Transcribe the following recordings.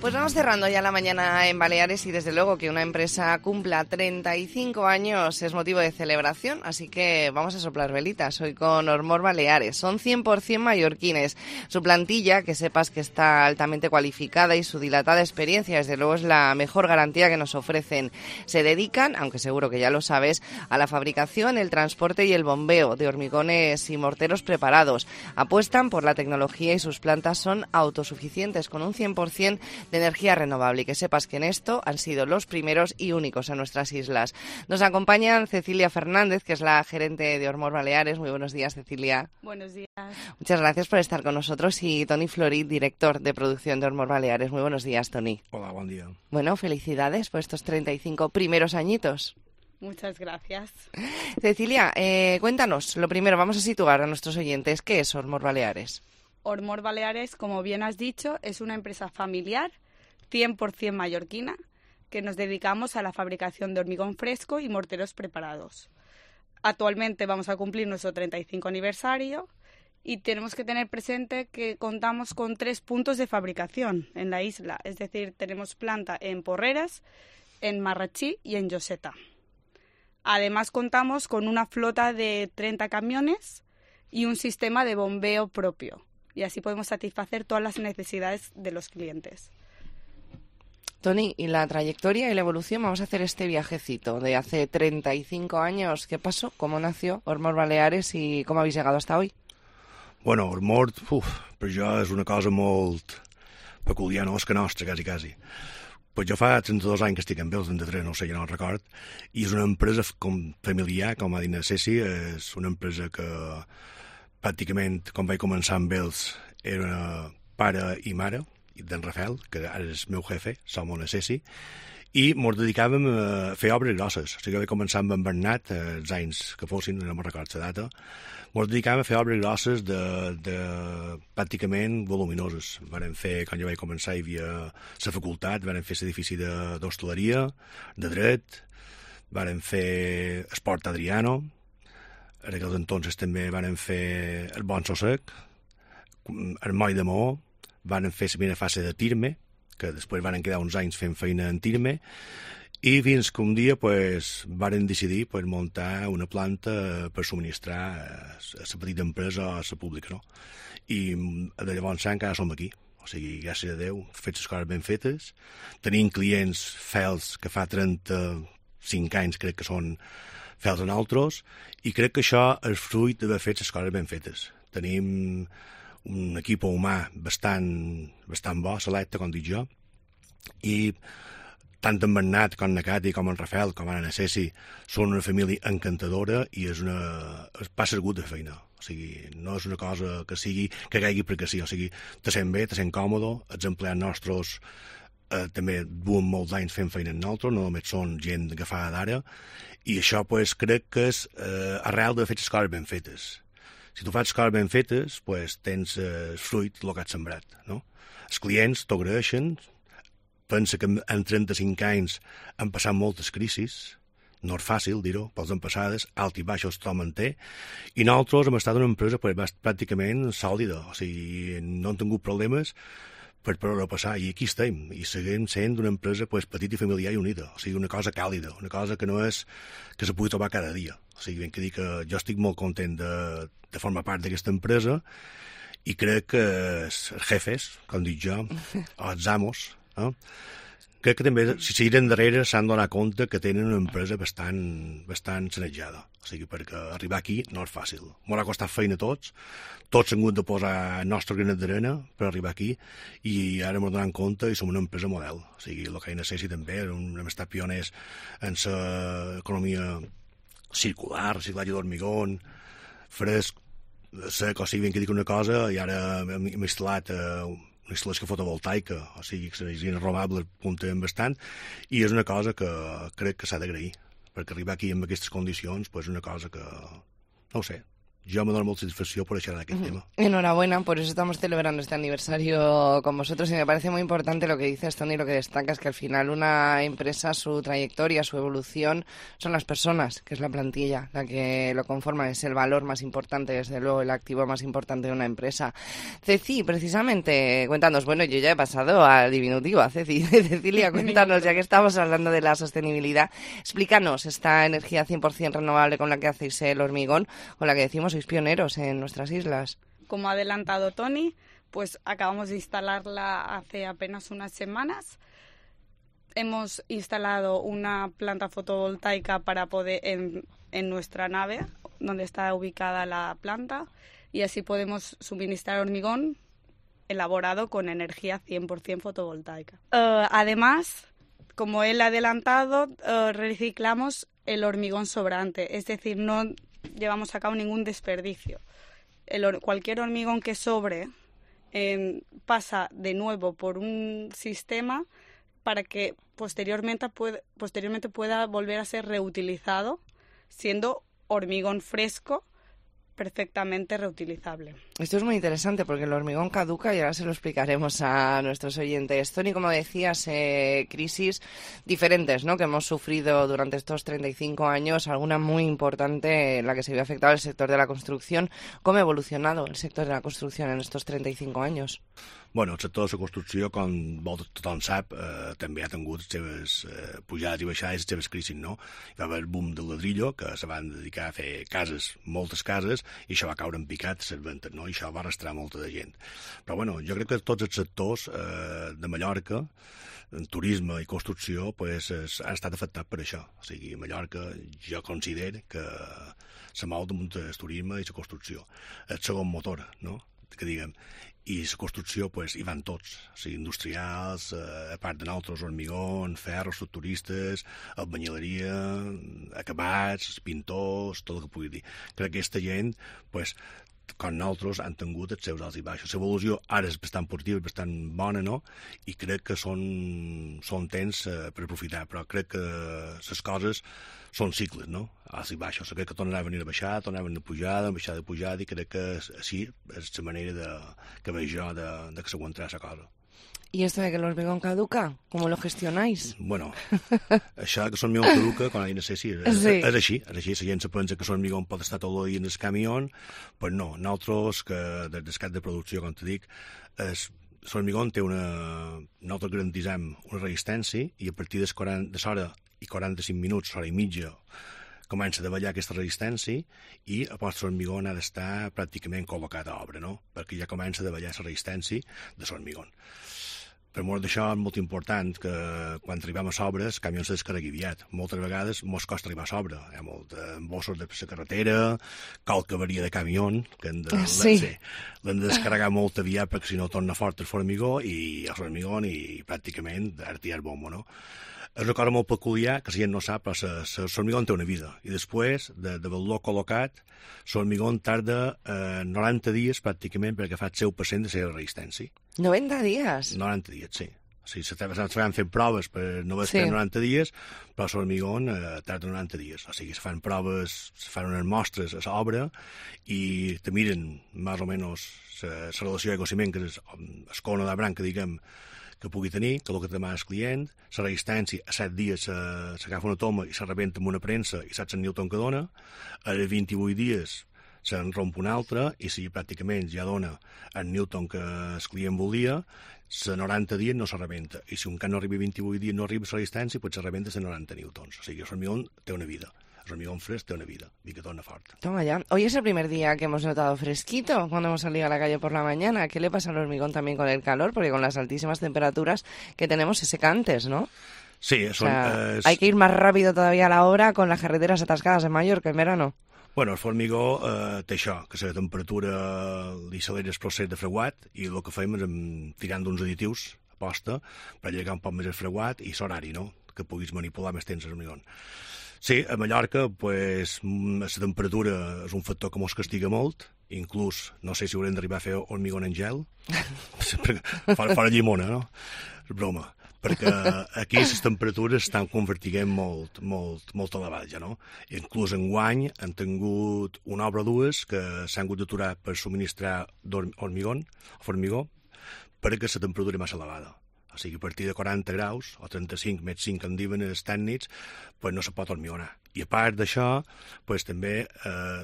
Pues vamos cerrando ya la mañana en Baleares y desde luego que una empresa cumpla 35 años es motivo de celebración, así que vamos a soplar velitas hoy con Ormor Baleares. Son 100% mallorquines. Su plantilla, que sepas que está altamente cualificada y su dilatada experiencia, desde luego es la mejor garantía que nos ofrecen. Se dedican, aunque seguro que ya lo sabes, a la fabricación, el transporte y el bombeo de hormigones y morteros preparados. Apuestan por la tecnología y sus plantas son autosuficientes con un 100% de energía renovable, y que sepas que en esto han sido los primeros y únicos en nuestras islas. Nos acompañan Cecilia Fernández, que es la gerente de Ormor Baleares. Muy buenos días, Cecilia. Buenos días. Muchas gracias por estar con nosotros. Y Toni Florit, director de producción de Ormor Baleares. Muy buenos días, Toni. Hola, buen día. Bueno, felicidades por estos 35 primeros añitos. Muchas gracias. Cecilia, cuéntanos, lo primero, vamos a situar a nuestros oyentes, ¿qué es Ormor Baleares? Ormor Baleares, como bien has dicho, es una empresa familiar, 100% mallorquina, que nos dedicamos a la fabricación de hormigón fresco y morteros preparados. Actualmente vamos a cumplir nuestro 35 aniversario y tenemos que tener presente que contamos con 3 puntos de fabricación en la isla, es decir, tenemos planta en Porreres, en Marratxí y en Lloseta. Además contamos con una flota de 30 camiones y un sistema de bombeo propio. Y así podemos satisfacer todas las necesidades de los clientes. Toni, ¿y la trayectoria y la evolución? Vamos a hacer este viajecito de hace 35 años. ¿Qué pasó? ¿Cómo nació Ormor Baleares i com habéis llegado hasta hoy? Bueno, Ormor, per jo és una cosa molt peculiar, no? És que nostra, quasi. Pues jo fa 32 anys que estic amb ells, 33, no sé, ja no el record, i és una empresa familiar, com ha dit la Ceci, és una empresa que pràcticament, quan vaig començar amb ells, era pare i mare d'en Rafael, que ara és meu jefe, som una Ceci, i ens dedicàvem a fer obres grosses. O sigui, vaig començar amb en Bernat, els anys que fossin, no me'n record la data, ens dedicàvem a fer obres grosses de pràcticament voluminoses. Varen fer, quan jo vaig començar, hi havia la facultat, varen fer l'edifici d'hostaleria, de dret, varen fer Esport Adriano, en aquells entonces també van fer el Bon Sosec, el Moll de Maó, van fer la primera fase de Tirme, que després van quedar uns anys fent feina en Tirme, i fins que un dia van decidir muntar una planta per subministrar a la petita empresa o a la pública, no? I de llavors encara som aquí. O sigui, gràcies a Déu, fet les coses ben fetes. Tenim clients fels que fa 35 anys crec que són fels en altres, i crec que això és fruit d'haver fet les coses ben fetes. Tenim un equip humà bastant bo, selecte, com dic jo, i tant en Bernat com en Cati, com en Rafael, com ara en Ceci, són una família encantadora i passa el gust de feina. O sigui, no és una cosa que caigui perquè sí, o sigui, te sent bé, te sent còmode, els empleats nostres també duen molts anys fent feina en nosaltres, no només són gent agafada d'ara, i això crec que és arrel de fer les coses ben fetes. Si tu fas coses ben fetes, tens fruit del que has sembrat, no? Els clients t'ho agraeixen, pensa que en 35 anys han passat moltes crisis, no és fàcil dir-ho, pels han passades, alt i baixos tothom en té, i nosaltres hem estat una empresa pràcticament sòlida, o sigui, no hem tingut problemes per passar, i aquí estem, i seguim sent una empresa petita i familiar i unida, o sigui, una cosa càlida, una cosa que no és que se pugui trobar cada dia. O sigui, ben que dir que jo estic molt content de formar part d'aquesta empresa, i crec que els jefes, com dic jo, o els amos, crec que també, si seguiren darrere, s'han donat compte que tenen una empresa bastant sanejada. O sigui, perquè arribar aquí no és fàcil. M'ha costat feina a tots s'han hagut de posar el nostre granet d'arena per arribar aquí, i ara m'ho donen compte i som una empresa model. O sigui, el que hi necessiti també, hem estat pioners en l'economia circular, reciclatge d'hormigón, fresc, sec, o sigui, ben que dic una cosa, i ara hem instal·lat una instal·lació fotovoltaica, o sigui, que l'energia renovable puntem bastant, i és una cosa que crec que s'ha d'agrair, perquè arribar aquí en aquestes condicions és una cosa que, no ho sé, yo me dono molta satisfacció por echar en aquel tema. Enhorabuena, por eso estamos celebrando este aniversario con vosotros y me parece muy importante lo que dices, Toni, lo que destacas, que al final una empresa, su trayectoria, su evolución, son las personas, que es la plantilla, la que lo conforma, es el valor más importante, desde luego, el activo más importante de una empresa. Ceci, precisamente, cuéntanos, bueno, yo ya he pasado al diminutivo, a Ceci. Cecilia, cuéntanos, ya que estamos hablando de la sostenibilidad, explícanos esta energía 100% renovable con la que hacéis el hormigón, con la que decimos sois pioneros en nuestras islas. Como ha adelantado Toni, pues acabamos de instalarla hace apenas unas semanas. Hemos instalado una planta fotovoltaica para poder en nuestra nave, donde está ubicada la planta, y así podemos suministrar hormigón elaborado con energía 100% fotovoltaica. Además, como él ha adelantado, reciclamos el hormigón sobrante, es decir, no llevamos a cabo ningún desperdicio. Cualquier hormigón que sobre pasa de nuevo por un sistema para que posteriormente pueda volver a ser reutilizado, siendo hormigón fresco perfectamente reutilizable. Esto es muy interesante porque el hormigón caduca y ahora se lo explicaremos a nuestros oyentes. Toni, como decías, crisis diferentes, ¿no?, que hemos sufrido durante estos 35 años, alguna muy importante en la que se vio afectado el sector de la construcción. ¿Cómo ha evolucionado el sector de la construcción en estos 35 años? Bueno, el sector de la construcció, com tothom sap, també ha tingut les seves pujades i baixades, les seves crisis, no? Hi va haver el boom del ladrillo, que se van dedicar a fer cases, moltes cases, i això va caure en picat, les ventes, no? I això va arrastrar molta de gent. Però, bueno, jo crec que tots els sectors de Mallorca, en turisme i construcció, pues, han estat afectats per això. O sigui, a Mallorca jo considero que se mou damunt el turisme i la construcció. El segon motor, no?, que diguem. I la construcció, pues, hi van tots, o sigui, industrials, a part de nosaltres, hormigón, ferro, estructuristes, albañileria, acabats, pintors, tot el que pugui dir. Crec que aquesta gent, pues, com nosaltres, han tingut els seus alts i baixos. L'evolució ara és bastant positiva, bastant bona, no? I crec que són temps per aprofitar, però crec que les coses són cicles, no? Alts i baixos. Crec que tornarà a venir a baixar, tornarà a venir a baixar de pujada, i crec que així és la manera que veig jo de que s'aguantarà la cosa. ¿Y esto de que el hormigón caduca? ¿Cómo lo gestionáis? Bueno, això que l'hormigón caduca, com no sé si és així. La gent se pensa que l'hormigón pot estar tot el dia en el camió, però no. Nosaltres, que des del cap de producció, com te dic, l'hormigón té nosaltres garantitzem una resistència i a partir de l'hora i 45 minuts, hora i mitja, comença a davallar aquesta resistència i el vostre hormigó ha d'estar pràcticament col·locat a obra, no? Perquè ja comença a davallar la resistència de l'hormigó. Per mort d'això és molt important que quan arribem a sobre el camió se descarregui aviat. Moltes vegades mos costa arribar a sobre. Hi ha molt embossos de la carretera, qualque avaria de camió, que l'hem de descarregar molt aviat perquè si no torna fort el formigó i el hormigó i pràcticament artiar bombo, no? És una cosa molt peculiar, que la gent no sap, però l'hormigó té una vida. I després, d'haver-lo col·locat, l'hormigó tarda 90 dies, pràcticament, perquè fa el 100% de la seva resistència. 90 dies? 90 dies, sí. O sigui, s'han fet proves per no haver estat 90 dies, però l'hormigó tarda 90 dies. O sigui, se fan proves, se fan unes mostres a l'obra i te miren, més o menys, la relació aigua-ciment, que és el cono de branca, diguem, que pugui tenir, que el que demana el client, la resistència a 7 dies s'agafa una toma i se rebenta amb una premsa i saps el newton que dona, a 28 dies se'n romp una altra i si pràcticament ja dona el newton que el client volia, a 90 dies no se rebenta. I si un cas no arriba a 28 dies no arriba la resistència, pues se rebenta a 90 newtons. O sigui, el hormigón té una vida. El hormigón fresco tiene una vida y que torna fuerte. Toma ya. Hoy es el primer día que hemos notado fresquito cuando hemos salido a la calle por la mañana. ¿Qué le pasa al hormigón también con el calor? Porque con las altísimas temperaturas que tenemos se seca antes, ¿no? Sí, eso hay que ir más rápido todavía a la obra con las carreteras atascadas en Mallorca en verano. Bueno, el formigó té això, que la temperatura li accelera el procés de freguat i el que fem és tirant d'uns additius a posta per allargar un poc més el freguat i l'horari, no?, que puguis manipular més temps l'hormigó. Sí, a Mallorca, pues, la temperatura és un factor que mos castiga molt, inclús, no sé si haurem d'arribar a fer hormigó en gel, fora llimona, no? És broma. perquè aquí les temperatures estan convertint molt elevades, ja, no? Inclús enguany han tingut una obra o dues que s'han hagut d'aturar per subministrar formigó, perquè la temperatura és massa elevada. O sigui, a partir de 40 graus, o 35, més 5 en diuen els tècnics, pues no se pot hormigonar. I a part d'això, pues, també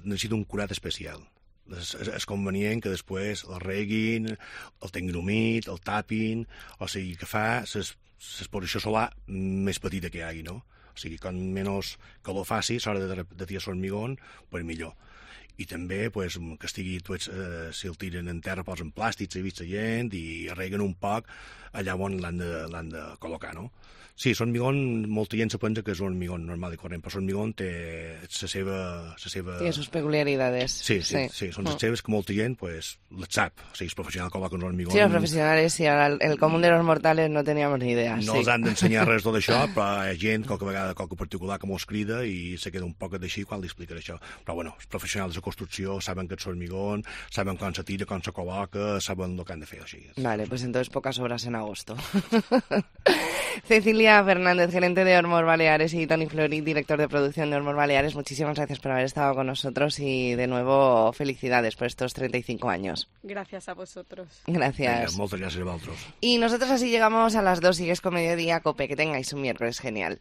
necessita un curat especial. És convenient que després el reguin, el tinguin humit, el tapin, o sigui, que fa l'exposició solar més petita que hi hagi, no? O sigui, com menys calor faci, a l'hora de tirar l'hormigó, pues millor. I també pues, que estigui, si el tiren en terra, posen plàstics, s'ha vist la gent, i reguen un poc allà on l'han de col·locar, no? Sí, l'hormigó, molta gent se pensa que és un hormigó normal i corrent, però l'hormigó té la seva... Tiene sus peculiaridades. Sí, són les seves que molta gent pues, les sap. O sigui, els professionals col·loquen un hormigó... Sí, els professionals, sí, el común de los mortales no teníamos ni idea. No els han d'ensenyar res tot això, però hi ha gent, qualque vegada, qualque particular que mos crida i se queda un poc d'així quan li explica això. Però bueno, els professionals de construcció saben que és hormigó, saben quan se tira, quan se col·loca, saben el que han de fer, així. Vale, pues entonces pocas horas en agosto. Cecilia Fernández, gerente de Ormor Baleares, y Toni Florit, director de producción de Ormor Baleares, muchísimas gracias por haber estado con nosotros y de nuevo felicidades por estos 35 años. Gracias a vosotros. Gracias. Venga, moltes gràcies a vosaltres. Y nosotros así llegamos a las 2, sigues con Mediodía Cope. Que tengáis un miércoles genial.